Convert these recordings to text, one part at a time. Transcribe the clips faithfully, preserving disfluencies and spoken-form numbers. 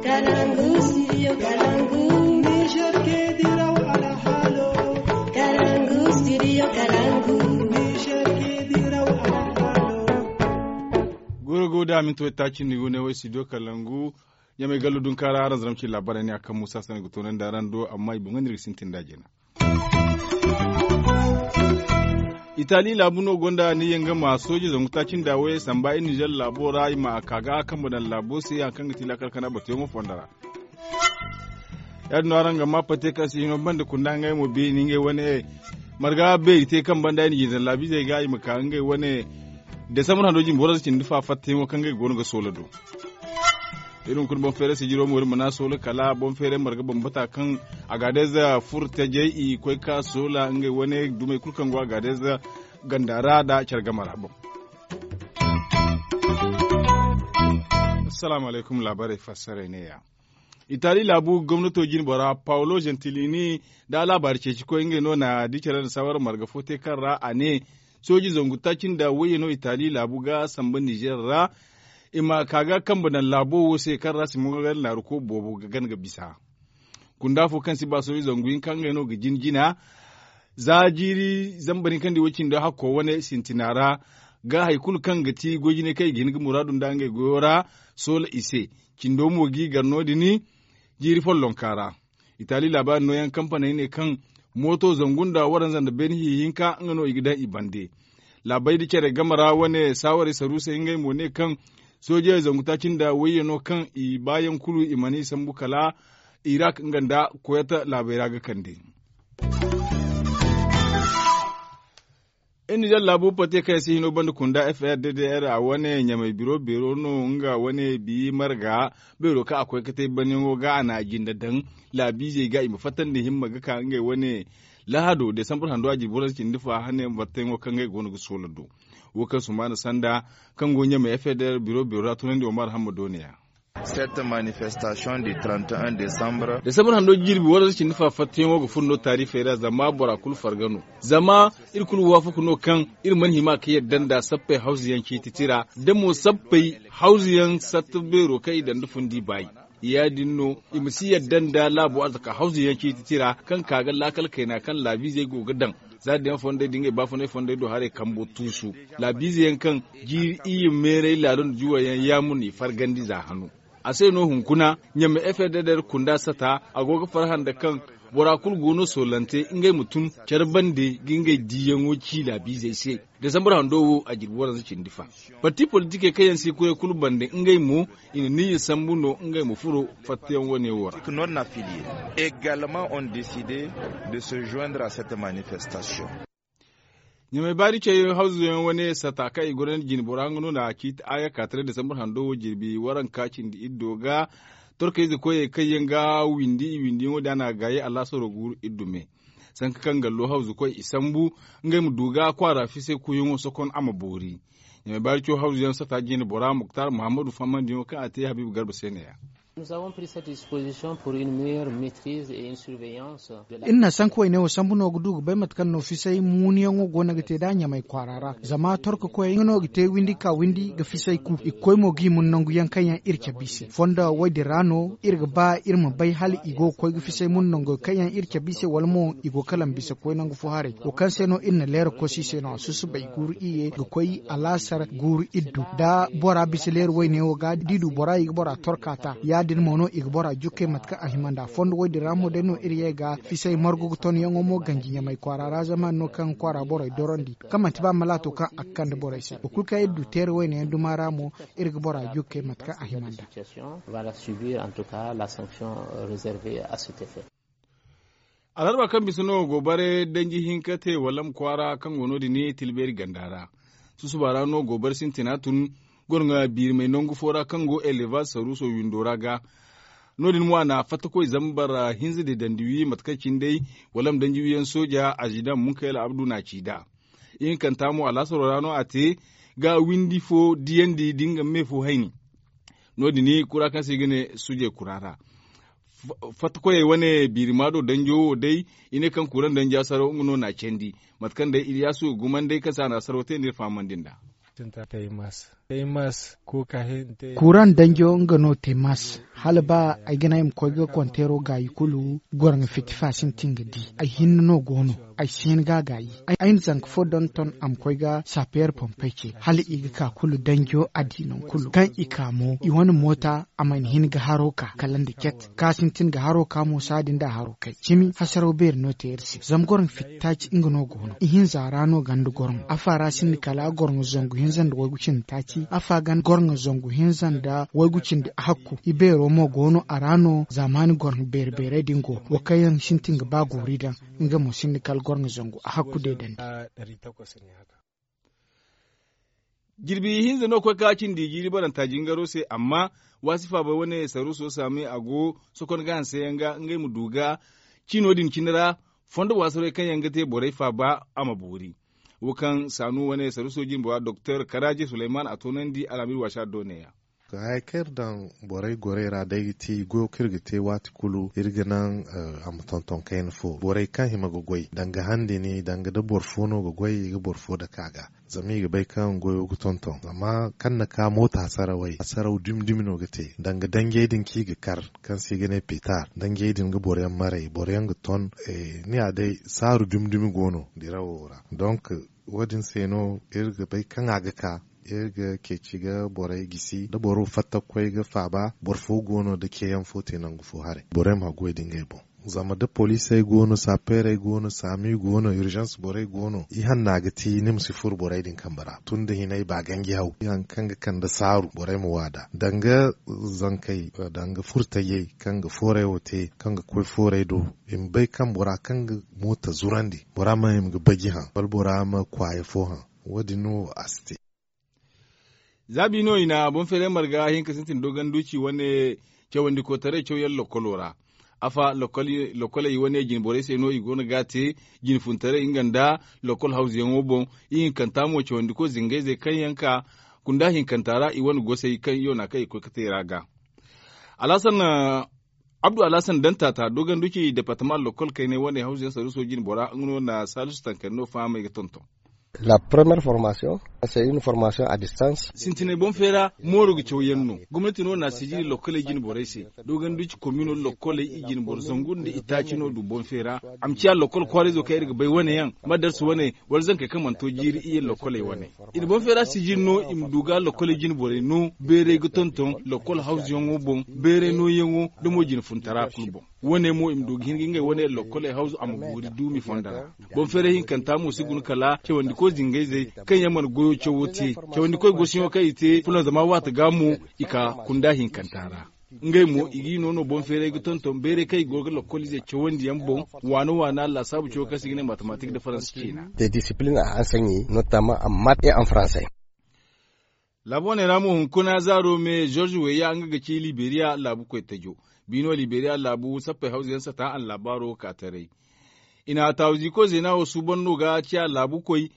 Kalangu, studio Kalangu. Niger ke diraw alhalo. Kalangu, studio Kalangu. Niger ke diraw alhalo. Goro go da minti wai tacin ni go ne wai studio Kalangu. Ɲamay gallo dun kara aran zaramci labarai ne a kan musa sani ga tonan da ran do amma i boŋ ga nirga sintin da jina. Itali laabu no gonda ni yaŋ ga ma sooji zangu taaci nda wayey samba i nizer laabo ra i ma a ka ga a kambe daŋ laabo se hari kaŋ ga ti laakal kana batuyaŋo fondo ra. Ya- din no araŋ ga ma pate kaŋ se hino banda kunda ngey mo beeni ngey wane marga beeri te kaŋ banda i na jinde daŋ laabiizey ga i ma ka ngey wane desambar hando jimbi waranza cindi fa fattayaŋo kaŋ ngey go no ga soola do. Irin kulu boŋ feeray sijiro mo iri mana soola kala boŋ feeray marga bambata kaŋ a ga adayze furo tajey i koy ka soola ngey wane dumey kulu kaŋ go a ga adayze ganda ra nda care game ra boŋ. Assalamu alaykum laabaarey fassaray ne- ya. Itali laabu gomnato jine bora paolo gentilini nda a laabaari ceeci koy ngey no na di care nda saawara marga fo te kaŋ ra a ne sooji zangu taaci nda wayye no itali laabu ga samba nizer ra i ma ka ga kambe daŋ laabo wo se kaŋ ra si mo ga naaru ko boobo ga gana ga bisa. Kunda fo kaŋ si ba sooji zangu hinka ngey no ga jin jina za jiiri zambar hinka nda i wo cindi hakko wane sintina ra ga hari kulu kaŋ ga ti goy jinay kaŋ i ga hin ga muraadu nda ngey goyo ra soola i se. Cindo mo g'i gar no- din jiiri follonka ra. Itali laabaari nooyaŋ kampaney ne kaŋ mooto zangu nda waranza nda beene hiihinka nga no i ga daŋ i bande. Laabey da care game ra wane saawarey saruusey ngey mo ne kaŋ soojey zangu taaci nda wayye no kaŋ i baayaŋ kulu i mana i sambu kala irak nga nda koyata laabey ra ga kande. Iri nizer laabu pate kaŋ yaŋ si hino banda kunda f r d d r a wane ɲamay biro beero no nga wane bi marga beero kaŋ a koy ga te banyaŋo ga a na a jinde daŋ laabiizey ga i ma fattandi himma ga ka ngey wane lahado desambar hando a jirbi waranza cindi fa hane batteyaŋo kaŋ ngey go no ga soola do. Wo kaŋ sumaana sanda kaŋ go ɲamay f r d r biro beero ra tunandi omar hamma dooniya. Cette manifestation du trente et un décembre. Desambar hando jirbi waranza cindi fa fattayaŋo ga furo no taarifey ra zama bora kulu farga no. Zama iri kulu waafaku no kaŋ iri mana hima ka yadda nda sappey hawzuyaŋ ciiti tira da mo sappey hawzuyaŋ satta beero kaŋ i daŋ nda fundi baayi. Ya- din no i ma si yadda nda laabo arzaka hawzuyaŋ ciiti tira kaŋ ka ga laakal kayna kaŋ laabiizey go ga daŋ za da yaŋ fondey da ngey baafunay fondey do haray kambo tuusu. Laabiize yaŋ kaŋ jiiri iyye meeray laalo nda juwayaŋ yaamu no i fargandi za hano. A se no hunkuna ɲamma f r d d r kunda sata a go ga farhã nda kaŋ bora kulu go no soolante ngey ma tun care bande ga ngey diiyaŋo ci laabiizey se. Desambar hando wo a jirbi waranza cindi fa. Parti politikey kaŋ yaŋ si koyey kulu bande ngey mo i na niyya sambu no ngey ma furo fattayaŋ wane wo ra. Également ont décidé de se joindre à cette manifestation. Ɲamay baari cey hawzuyaŋ wane sata kaŋ i goro jine bora nga no na ciiti aya ka taray desambar hando wo jirbi waranka cindi iddo ga torkayze koyey kaŋ yaŋ ga windi i windiyaŋo din a na a gaayi alaasaro guuru iddu me. Sanka kaŋ gallo hawzu koy i sambu ngey ma du ga kwaara fisay kuuyaŋo sokon a ma boori. Ɲamay baari cey hawzuyaŋ sata jine bora muktar muhammadu fahamandiyaŋo kaŋ a te habiibu garba se ne- ya. Iri na sanku wayne wo sambu no ga du ga bay mate kaŋ no fisay muuniyaŋo go no ga te nd'a ɲamay kwaara ra zama torka koyey nga no ga te windi ka windi ga fisay ku i ga koy mo ga i mun nangu yaŋ kaŋ yaŋ iri cabe i se fondo wo- din ra no iri ga ba iri ma bay hala i go ga koy ga fisay mun nangu kaŋ yaŋ iri cabe i se wala mo i go kala ma bisa ga koy nangu fo haray wo kaŋ se no iri na leera kosi i se no a susubay guuru iyye ga koy alaasar guuru iddu da bora bisa leera wayne wo ga da i du bora i ga bora torka ta ya- din mo no i ga bora jukkey mate kaŋ a hima nd'a fondo wo- din ra mo day no iri ye ga fisay margu ga ton yaŋo mo ganji ɲamay kwaara ra zama no kaŋ kwaara borey dorandi kaŋ manti ba malaato kaŋ a ga kande borey se wo kulu kaŋ iri du teera wayne yaŋ duma ra mo iri ga bora jukkey mate kaŋ a hima nd'a. Alarba kaŋ bisa no goobare danji hinka te wala ma kwaara kaŋ go no- din tilbeeri ganda ra. Susuba ra no goobare sintina tun goro ŋwa biirimey nangu fo ra kaŋ go elevaz saruuso windo ra ga. No- din mo a na fattakoy zambar hinza de dandi wi mate kaŋ cine day wala ma danji wiyaŋ sooja azidan munkayla abdu na a ci nd'a. Ihinkanta mo alaasaro ra no a te ga windi fo diyandi da nga me fo hayni. No- din kura kaŋ se i ga ne sujey kura ra. Fattakoyey wane biirima do danjo wo day i ne kaŋ kuran danjo asaro nga no na a candi. Mate kaŋ day iliyasu ga gumanday kaŋ se a na asaro te no iri fahamandi nd'a. Kuran danjo nga no te mas. Hala ba ay ga ne ay ma koy ga konteero gaayi kulu, goro nga fitti fa sintin ga di. Ay hinne no go no. Ay si hin ga a gaayi. Ay na zanka fo donton a ma koy ga saapeer pompey ce hala i ga ka kulu danjo a di nangu kulu kaŋ i ka mo i wane moota a mana hin ga haro ka kala nda ket ka sintin ga haro ka mo saadi nda a haro kay cimi hasaraw beeri no te iri se zama goro nga fitti taaci nga no go no ihinza ra no ganda goro nga afa ra sinda kala goro nga zangu hinza nda waygu cindi taaci afa ganda goro nga zangu hinza nda waygu cindi hakku i beero mo go no a ra no zaamaani goro nga beeri beeray din go wa kaŋ yaŋ sintin ga ba goori daŋ nga mo sinda kala goro nga zangu a hakku deedandi. Jirbi hinza no koy ka cindi jiiri baranta jingaro se amma waasi faabay wane saruuso saamay a go sokon ga hanse yaŋ ga ngey ma du ga ciino din cine ra fondo waasaray kaŋ yaŋ ga te borey faaba a ma boori. Wo kaŋ saanu wane saruuso jine bora doktor karaaje suleyman a toonandi alhamis waasa do ne-ya. Haya kaŋ iri daŋ borey gorey ra day ga ti goyo kaŋ iri ga te waati kulu iri ga naŋ a ma tonton kayna fo borey kaŋ hima ga goy danga handini danga da boro fo no ga goy i ga boro fo dake a ga. Zama i ga bay kaŋ goyo ga tonton zama kaŋ na ka moota hasarawey hasaraw dumi dumi no ga te danga danjey din kaŋ i ga kar kaŋ se i ga ne petar danjey din ga boro yaŋ maray boro yaŋ ga ton. Ni ya day saaru dumi dumi go no dirawo ra donk wo- din se no iri ga bay kaŋ a ga ka iri ga ceeci ga borey gisi da boro fatta ga koy ga faaba boro fo go no da ceeyaŋ fo te nangu fo haray borey ma goy da ngey boŋ. Zama da poliisey go no saapeerey go no saami go no urzans borey go no i hanna ga ti ni ma si furo borey din kambe ra tun da hinay ba ganji haw hari kaŋ ga kande saaru borey ma waada danga zankey danga furtajey kaŋ ga fooray wo te kaŋ ga koy fooray do i ma bay kaŋ bora kaŋ ga moota zurandi bora ma hima ga baji haŋ wala bora ma kwaaya fo haŋ. Wo- din no a si te. Za bi no i na boŋ feeray marga hinka sintin dogon duci wane cawandi kotaray cawyaŋ lokkolo ra. Afa lokkoley wane jine borey se no i go no ga a te jine funtaray nga nda lokkol hawzuyaŋo boŋ. I hinkanta mo cawandi koy zingayzey kaŋ yaŋ ka kunda hinkanta ra i wane gosey kaŋ i wana kaŋ i koy ga te i ra ga. Alhasan abdu alhasan dantata dogon duci departama lokkol kaynay wane hawzuyaŋ saruuso jine bora nga no na salisu tankari no fahamay ga tonton. La première formation c'est une formation à distance. Sintinay boŋ feera mooro ga caw yaŋ no. Gomnati no na sijiri lokkoley jine borey se. Dogon duci komino lokkoley i jine boro zangu nda i taaci no du boŋ feera. A ma ciya lokkol kwaarayzo kaŋ iri ga bay wane yaŋ ma darsu wane wala zankey kaŋ mana to jiiri i ye lokkoley wane. I na boŋ feera sijiri no i ma du ga lokkoley jine borey no beeray ga tonton lokkol hawzuyaŋo boŋ beeray nooyaŋo da mo jine funtara kulu boŋ. Wane mo i ma du ga hin ga ngey wane lokkoley hawzu a ma guuri duumi fondo ra. Boŋ feeray hinkanta mo si guna kala cawandikoy zingayzey kaŋ yaŋ mana goyo cawo te. Cawandikoy gosiyaŋo kaŋ i te fulanzama waati ga mo i ka kunda hinkanta ra. Ngey mo i g'i no no boŋ feeray ga tonton beeray kaŋ i go ga lokkoliizey cawandi yaŋ boŋ waana waana laasaabu cawo kaŋ se i ga ne matematik nda faransa ciina. Des disciplines à enseigner notamment en maths et en français. Laabu wane ra mo hunkuna zaaro me george weya nga ga ci liberiya laabu koy tajo. Biino liberiya laabu sappey hawza yaŋ sata a na laabaaro ka taray. I na taawu ziiko zeena wo suuban no ga ciya laabu koy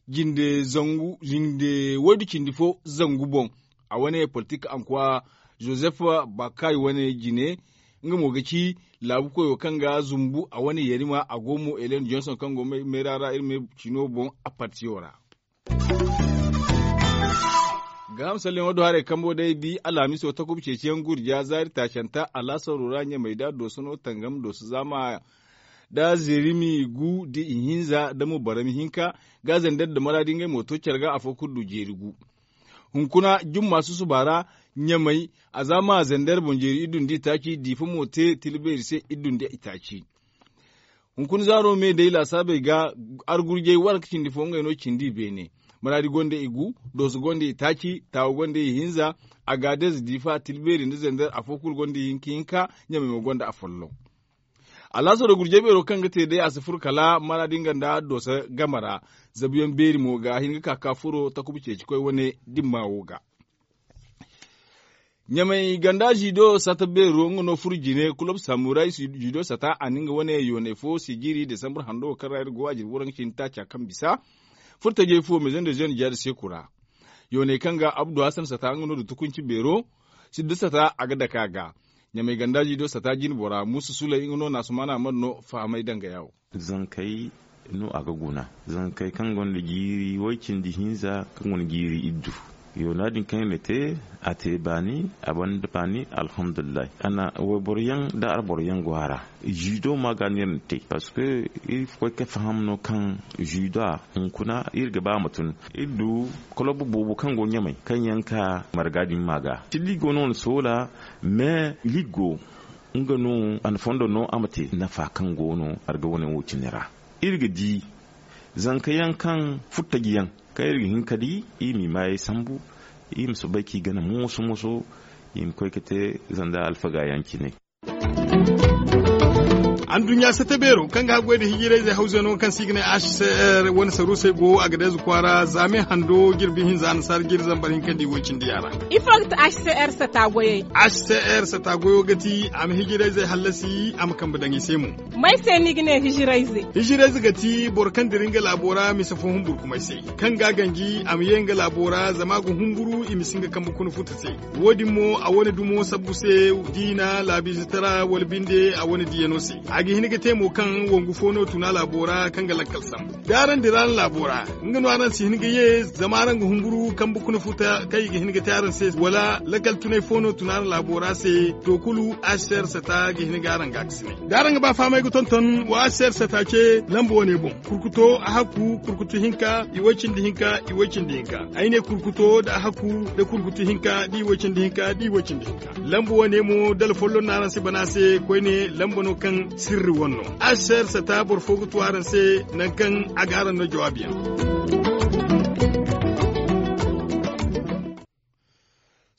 jinde zangu jinde waydu cindi fo zangu boŋ. A wane politik ankwa joseph bakay wane jine nga mo ga ci laabu koyo kaŋ ga zumbu a wane yarima a go mo elen johnson kaŋ go meera ra iri me cino boŋ a partiyo ra. Gaaham salleŋo do haray kambo day bi alhamiso takuba ceeciyaŋ gurja zaari taacanta alhasaru ra ɲamey da dooso no tangam dooso zaama da zirimi gu da ihinza da mo barami hinka ga zandar da maraadi ngey mo to care ga afo kulu du jeeri gu. Hunkuna jumma susuba ra ɲamey a zaama zandar boŋ jeeri iddu nda itaaci diifa mo te tilbeeri se iddu nda itaaci. Hunkuna zaaro me day laasaabey ga argurjey waranka cindi fo ngey no cindi i beene. Maraadi gonda i gu dooso gonda i taaci taawa gonda i hinza. Agaadez diifa tilbeeri nda zandar afo kulu gonda i hinka hinka ɲamey mo gonda afolloŋ. Alhaasaro gurjey beero kaŋ ga te day a si furo kala maraadi nga nda dooso game ra. Zabuyaŋ beeri mo ga hin ga ka ka furo takuba ceecikoy wane dimma wo ga. Ɲamey ganda zido sata beero nga no furo jine kulob samuray zido sata a na nga wane yooney fo sijiri desambur hando wo kaŋ ra iri go a jirbi waranka cindi taaca kaŋ bisa. Furtajey fo maison de jeune jihadi seeku ra. Yooney kaŋ ga abdu hasan sata nga no da tukunci beero. Siddu sata a ga dake a ga. Ɲamey ganda zido sata jine bora muusa suley nga no na asumaana mana no fahamay danga yaawo. Zankey no a ga guna zankey kaŋ gonda jiiri way cindi hinza kaŋ gonda jiiri iddu. Yoona din kaŋ iri na te, a te baani, a banda baani, alhamdulillahi. A na wayboro yaŋ nda arboro yaŋ go a ra. Ziido ma ga no iri na te, parceque iri koy ga faham no kaŋ ziido a hunkuna iri ga ba a ma tun. Iri du kolob boobo kaŋ go ɲamay kaŋ yaŋ ka marga din ma ga. Ligo no wane soola, mais ligo nga no a na fondo no a ma te nafa kaŋ go no marga wane wo cine ra. Iri ga di zanka yaŋ kaŋ furtaji yaŋ kaŋ iri ga hin ka di, iri m'i maayey sambu, iri ma soobay k'i gana mooso-mooso, iri ma koy ka te zanda alfaga yaŋ cine. Anduɲɲa sata beero kaŋ ga haggoy nda hijirayze hawzano kaŋ se i ga ne h c r wane saruusey go a ga deeze kwaara zaame hando jirbi hinza annasaara jiri zambar hinka nda i woy cindi yaŋ ra. Ifo ga ti h c r sata goyey? H c r sata goyo ga ti a ma hijirayzey hallasi a ma kambe daŋ i se mo. May se ni ga ne hijirayze? Hijirayze ga ti boro kaŋ dira nga laabo ra mise fo humburkumay se, kaŋ ga a ganji a ma ye nga laabo ra zama a ga humburu i ma si nga kambe kuna futa se. Wo-din mo a wane dumo sabbu se, diina laabiizetara wala binde a wane diyano se. A ga hin ga te mo kaŋ wangu fo no tuna laabo ra kaŋ ga lakkal sambu. Da araŋ dira araŋ laabo ra, nga no araŋ si hin ga ye zama araŋ ga humburu kambe kuna futa kaŋ i ga hin ga te araŋ se, wala lakkal tunay fo no tuna araŋ laabo ra se. To kulu h c r sata ga hin ga araŋ ga a ga si ne da araŋ ga ba fahamay ga tonton wa h c r sata ce lamba wane boŋ. Kurkuto a hakku kurkutu hinka i way cindi hinka i way cindi hinka. Ay ne kurkuto da a hakku da kurkutu hinka da i way cindi hinka da i way cindi hinka. Lamba wane mo dala folloŋ no araŋ si bana se koyne lamba no kaŋ sirri wane no. H c r sata boro fo ga tu araŋ se nangu kaŋ a ga araŋ no jawaabi yaŋ.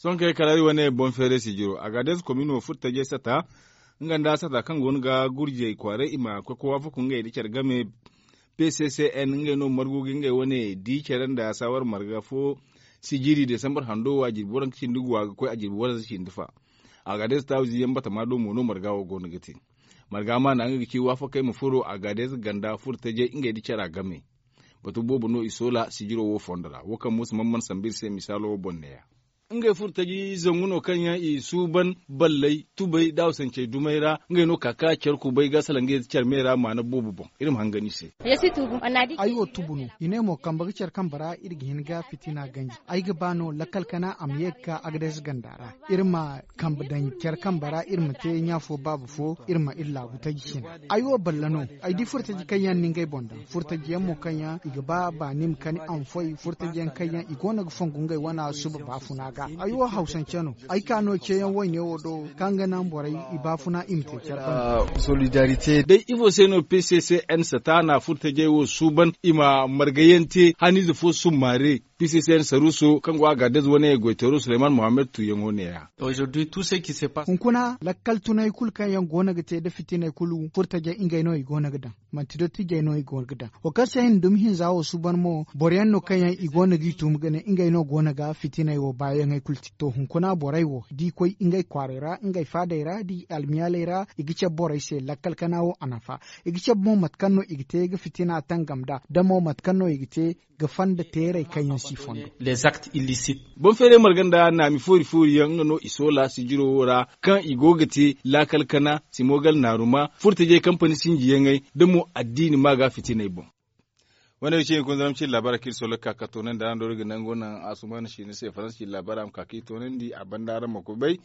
Sohõ kay kala iri wane boŋ feeray sijiro a ga deesi komino furtajey sata. Nga nda sata kaŋ go no ga gurjey kwaaray i ma koy ga waafaku ngey nda care game. P c c n ngey no margu ga ngey wane di care nda saawar marga fo sijiri desambar hando wo a jirbi waranka cindi gu a ga koy a jirbi waranka cindi fa. A ga deesi taawizi yaŋ batama do mo no marga wo go no ga te. Marga ma naŋ nga ga ci waafakey ma furo a ga deesi ganda furtajey ngey nda cara game. Batu boobo no i soola sijiro wo fondo ra wo kaŋ muusa man man sambu iri se misaalo wo boŋ neeya. Ngey furo taji zangu no kaŋ yaŋ i suuban balley tubay da hawsancey dumey ra. Ngey no ka ka care kubay ga salaŋ ga ye care me ra maana boobo boŋ. Iri ma hangan i se. Ay wo tubu no i ne mo kambe ga care kambe ra iri ga hin ga fitina ganji. Ay ga ba no lakkal kana a ma ye ga ka agades ganda ra. Iri ma kambe daŋ care kambe ra iri ma te ɲa fo baaba fo. Iri ma iri laabu taji cina. Ay wo balla no. Ay di furo taji kaŋ yaŋ na ngey boŋ daŋ furo taji yaŋ mo kaŋ yaŋ i ga ba baani ma kani a ma foy furo taji yaŋ kaŋ yaŋ i go no ga fongu ngey wana suba baafuna ga. Ay wo hawsance no. Ay ka no ceeyaŋ wayne wo do kaŋ ga naŋ borey i baafuna i ma te care banda. Day ifo se no p c c n sataana furo tajey wo suuban i ma margayaŋ te haniize fo summaare. P c c n saruuso kaŋ go a ga adez wane goyteero suleyman mohammed tuuyaŋo neeya. Hunkuna lakkal tunay kulu kaŋ yaŋ go no ga te nda fitinay kulu furo tajey ngey no i go no ga daŋ. Manti dottijey no i go ga daŋ. Wo kaŋ se i na dumi hinza wo suuban mo boro yaŋ no kaŋ yaŋ i go no g'i tuumi ga ne ngey no go no ga fitiney wo baayaŋey kulu te. To hunkuna borey wo da i koy ngey kwaaray ra ngey faadey ra da i almiyaaley ra i ga cabe borey se lakkal kana wo a nafa. I ga cabe mo mate kaŋ no i ga te ga fitina tangam nd'a da mo mate kaŋ no i ga te ga fanda teerey kaŋ yaŋ si fondo. Boŋ feeray marga nda naami foori foori yaŋ nga no i soola sijiro wo ra kaŋ i go ga te laakal kana simogal naaruma furtajey kampani sinjiyaŋey da mo addiini ma ga fitiney boŋ. Wane wo cine kunzaram cine laabaara kaŋ iri soola ga ka ga toonandi araŋ do iri ga nango naŋ asuman siina se faransa cine laabaara ma ka kaŋ i toonandi a banda araŋ ma koy bay.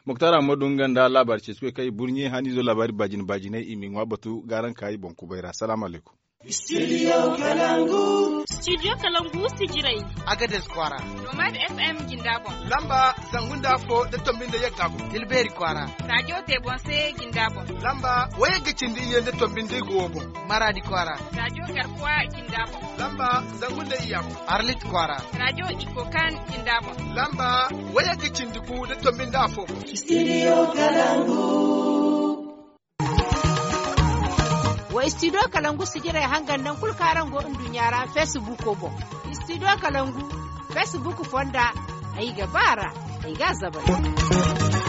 Moktar ammadu nga nda laabaari ceeci koy kaŋ i burɲe haniizo laabaari baajine baajiney i m'i ŋwa batu ga araŋ kaayi boŋ kubay ra salaamu alaykum. Studio kalangu sijirey. Agades kwaara. Nomad f m jinda boŋ. Lamba zangu nda afo nda tombi nda yagga boŋ tilbeeri kwaara. Raajo te boŋ se jinda boŋ. Lamba wayagga cindi iyye nda tombi nda igo wo boŋ. Maraadi kwaara. Raajo garkuwa jinda boŋ. Lamba zangu nda iyya boŋ. Arlit kwaara. Raajo ikokan jinda boŋ. Lamba wayagga cindi gu nda tombi nda afo boŋ. Studio kalangu. Wa studio kalangu sijirey hangan naŋ kulu kaŋ araŋ go nduɲɲa ra facebook boŋ. Studio kalangu facebook fonda. Ay ga ba ra ay ga a zabari.